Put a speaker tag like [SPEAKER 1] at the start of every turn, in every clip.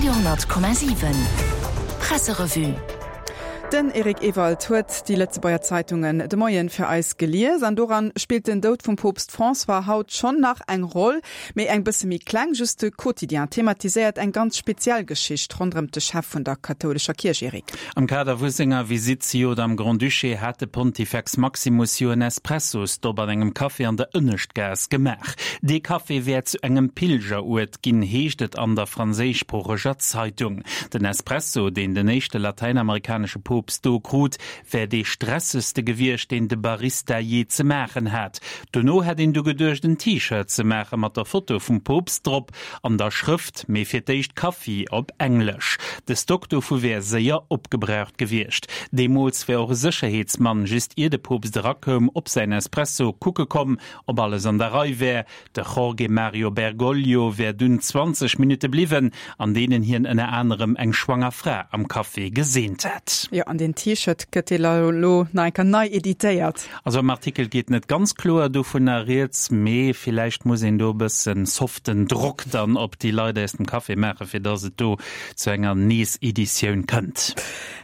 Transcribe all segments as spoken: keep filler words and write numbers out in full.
[SPEAKER 1] Radio honnert Komma siwen Presserevue.
[SPEAKER 2] Den Eric Ewald huet déi Lëtzebuerger Zeitungen de Moien fir eis gelies an doran spillt den Doud vum Poopst François haut schonn nach eng Roll, mee eng bësse méi kleng. Just de Quotidien thematiséiert eng ganz speziell Geschicht ronderëm de Chef vun der kathoulescher Kierch, Eric.
[SPEAKER 3] Am Kader vu senger Visitt zejoert am Grand-Duché hat de Pontifex Maximus jo en Espresso-Stopp an engem Café an der Ënneschtgaass gemaach. Dee Café wär zu engem Pilgeruert ginn, heescht et an der franséischsproocheger Zeitung. Den Espresso, deen den éischte latäinamerikanesche Poopst do krut, wär dee stressegste gewiescht, deen de Barista jee ze maachen hat. Dono hätt een du geduecht, en T-Shirt ze maache mat der Foto vum Poopst drop an der Schrëft Mee fir d'éischt Kaffi op Englesch. De Stock dovu wär séier opgebraucht gewiescht. Deemools wär och e Sécherheetsmann just ier de Poopst erakoum op säin Espresso kucke komm, ob alles an der Rei wär. De Jorge Mario Bergoglio wär dunn zwanzeg Minutte bliwwen, an deenen hien ënner anerem eng schwanger Fra am Café geseent hätt.
[SPEAKER 2] Jo, an deen T-Shirt gëtt elo nach eng Kéier nei editéiert.
[SPEAKER 3] Also am Artikel geet net ganz kloer dovunner rieds, mee villäicht muss een do e bëssen soften Drock dann op déi Leit aus dem Café maachen, fir dass et do zu enger Nees-Editioun kënnt.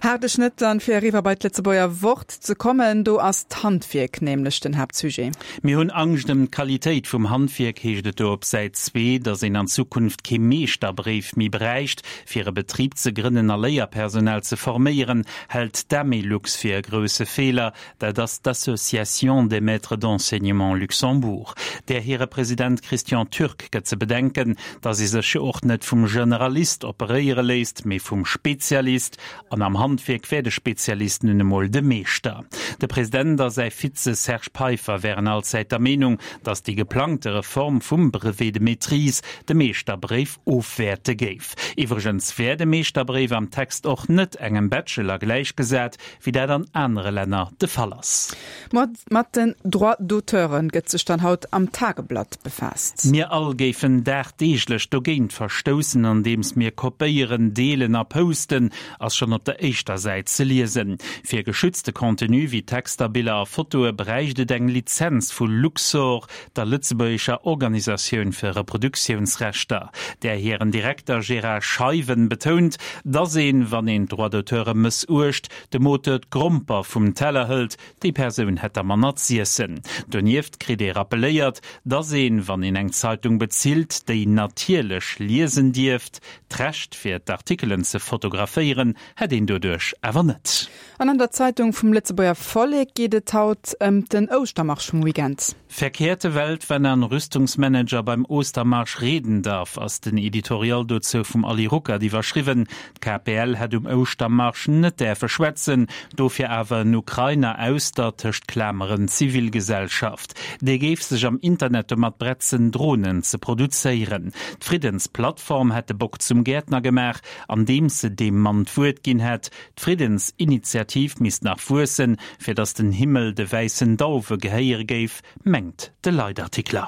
[SPEAKER 2] Haarde Schnëtt dann, fir eriwwer bei d'Lëtzebuerger Wort ze kommen. Do ass d'Handwierk nämlech den Haaptsujet.
[SPEAKER 3] Mir hunn Angscht ëm d'Qualitéit vum Handwierk, heescht et do op Säit zwee. Datt een an Zukunft kee Meeschterbréif méi bräicht, fir e Betrib ze grënnen a Léierpersonal ze forméieren, hält d'Amelux fir e grousse Feeler. Dat ass d'Association des maîtres d'enseignement Luxembourg. Där hire President Christian Türk gëtt ze bedenken, datt ee sech jo och net vum Generalist operéiere léisst, mee vum Spezialist. An am Handwierk wär de Spezialist nun emol de Meeschter. De President a säi Vize Serge Peiffer wären allzäit der Meenung, datt déi geplangte Reform vum Brevet de maîtrise de Meeschterbréif ofwäerte géif. Iwwregens wär de Meeschterbréif am Text och net engem Bachelor gläichgesat, wéi dat an anere Länner de Fall ass.
[SPEAKER 2] Mat den Droits d'auteure gëtt sech dann haut am Tageblatt befaasst.
[SPEAKER 3] Mir all géifen dagdeeglech dogéint verstoussen, andeems mir kopéieren, deelen a posten, ass schonn op der éischter Säit ze liesen. Fir geschützte Contenue wéi Texter, Biller a Fotoe bräicht et eng Lizenz vu Luxorr, der lëtzebuergescher Organisatioun fir Reproduktiounsrechter. Där hiren Direkter Gérard Scheiwen betount, dass een, wann een d'Droits d'auteure mëssuecht, dem Auteur d'Gromper vum Teller hëlt, déi Persoun hätt da manner z'iessen. Donieft kritt ee rappeléiert, dass een, wann een eng Zeitung bezilt, déi natierlech liesen dierft. D'Recht fir d'Artikelen ze fotograféieren hätt een doduerch awer net.
[SPEAKER 2] An an der Zeitung vum Lëtzebuerger Vollek geet et haut ëm den Ouschtermarsch vum Weekend.
[SPEAKER 3] Verkehrte Welt, wenn ein Rüstungsmanager beim Ostermarsch reden darf, ass den Editorial dozou vum Ali Ruckert iwwerschriwwen. D'K P L hätt um Ouschtermarsch net däerfe schwätzen, dofir awer en Ukrainer aus der, tëscht Klameren, Zivilgesellschaft. Dee géif sech am Internet domat bretzen, Dronen ze produzéieren. D'Friddensplattform hätt de Bock zum Gäertner gemaach, andeems se deem Mann d'Wuert ginn hätt. D'Friddensinitiativ misst nach wuessen, fir datt den Himmel de wäissen Dauwe gehéiere géif, mengt de Leitartikler.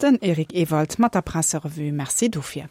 [SPEAKER 2] Den Eric Ewald mat der Presserevue. Merci dofir.